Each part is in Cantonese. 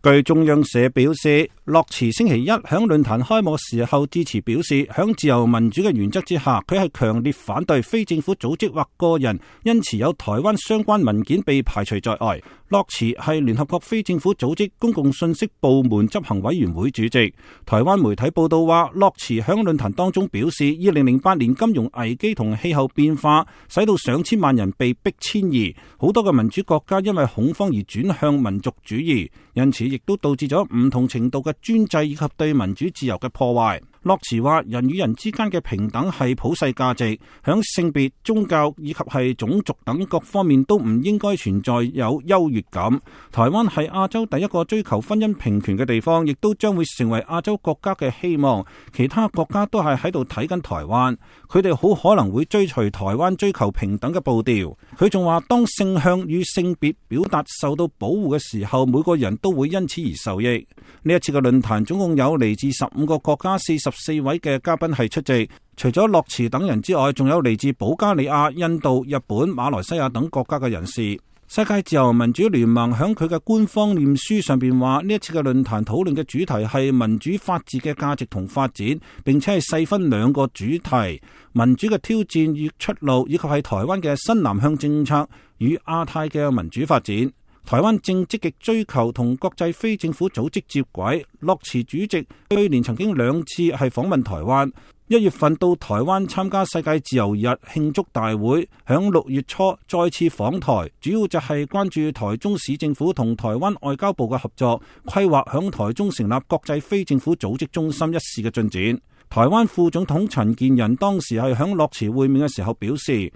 據中央社表示，樂池星期一響論壇開幕時候致辭表示，響自由民主嘅原則之下，佢係強烈反對非政府組織或個人因持有台灣相關文件被排除在外。樂池係聯合國非政府組織公共信息部門執行委員會主席。台灣媒體報道話，樂池響論壇當中表示，2008年金融危機同氣候變化使到上千萬人被迫遷移，好多嘅民主國家因為恐慌而轉向民族主義，因此亦都導致咗唔同程度嘅專制以及對民主自由嘅破壞。樂池話，人與人之間嘅平等係普世價值，響性別、宗教以及係種族等各方面都唔應該存在有優越感。台灣係亞洲第一個追求婚姻平權嘅地方，亦都將會成為亞洲國家嘅希望。其他國家都係喺度睇緊台灣，佢哋好可能會追隨台灣追求平等嘅步調。佢仲話，當性向與性別表達受到保護嘅時候，每個人都會因此而受益。呢一次嘅論壇總共有嚟自15個國家44位嘅嘉賓係出席，除咗樂池等人之外，仲有嚟自保加利亞、印度、日本、馬來西亞等國家嘅人士。世界自由民主聯盟響佢嘅官方臉書上邊話，呢一次嘅論壇討論嘅主題係民主法治嘅價值同發展，並且係細分2個主題：民主嘅挑戰與出路，以及係台灣嘅新南向政策與亞太嘅民主發展。台灣正積極追求同國際非政府組織接軌。樂池主席去年曾經2次係訪問台灣，1月份到台灣參加世界自由日慶祝大會，響6月初再次訪台，主要就係關注台中市政府同台灣外交部嘅合作，規劃響台中成立國際非政府組織中心一事嘅進展。台灣副總統陳建仁當時係響樂池會面嘅時候表示，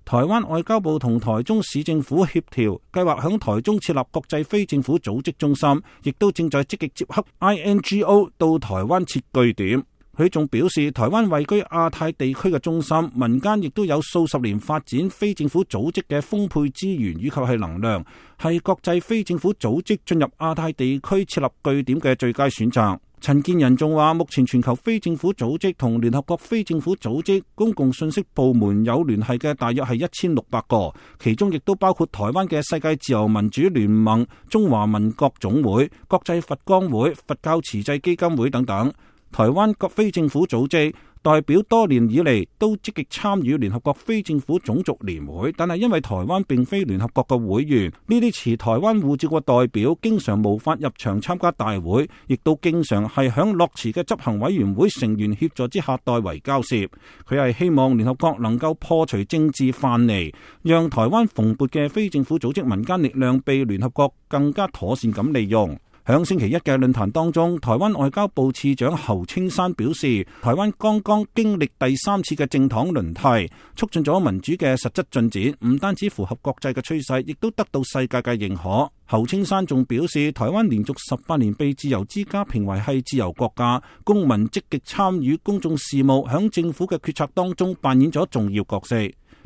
台灣外交部同台中市政府協調，計劃響台中設立國際非政府組織中心，亦都正在積極接洽 INGO 到台灣設據點。佢仲表示，台灣位居亞太地區嘅中心，民間亦都有數十年發展非政府組織嘅豐沛資源以及係能量，係國際非政府組織進入亞太地區設立據點嘅最佳選擇。陳建仁仲話，目前全球非政府組織同聯合國非政府組織公共信息部門有聯繫嘅大約係1600個，其中亦都包括台灣嘅世界自由民主聯盟、中華民國總會、國際佛光會、佛教慈濟基金會等等。台灣各非政府組織代表多年以嚟都積極參與聯合國非政府種族聯會，但係因為台灣並非聯合國嘅會員，呢啲持台灣護照嘅代表經常無法入場參加大會，亦都經常係響樂池嘅執行委員會成員協助之下代為交涉。佢係希望聯合國能夠破除政治藩籬，讓台灣蓬勃嘅非政府組織民間力量被聯合國更加妥善咁利用。響星期一嘅論壇當中，台灣外交部次長侯青山表示，台灣剛剛經歷第3次嘅政黨輪替，促進咗民主嘅實質進展，唔單止符合國際嘅趨勢，亦都得到世界嘅認可。侯青山仲表示，台灣連續18年被自由之家評為係自由國家，公民積極參與公眾事務，響政府嘅決策當中扮演咗重要角色。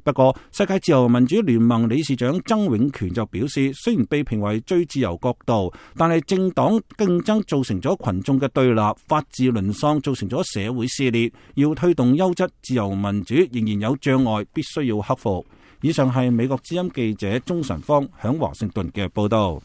不過，世界自由民主聯盟理事長曾永權就表示，雖然被評為最自由國度，但係政黨競爭造成咗群眾嘅對立，法治淪喪造成咗社會撕裂，要推動優質自由民主仍然有障礙，必須要克服。以上係美國之音記者鍾晨芳響華盛頓嘅報道。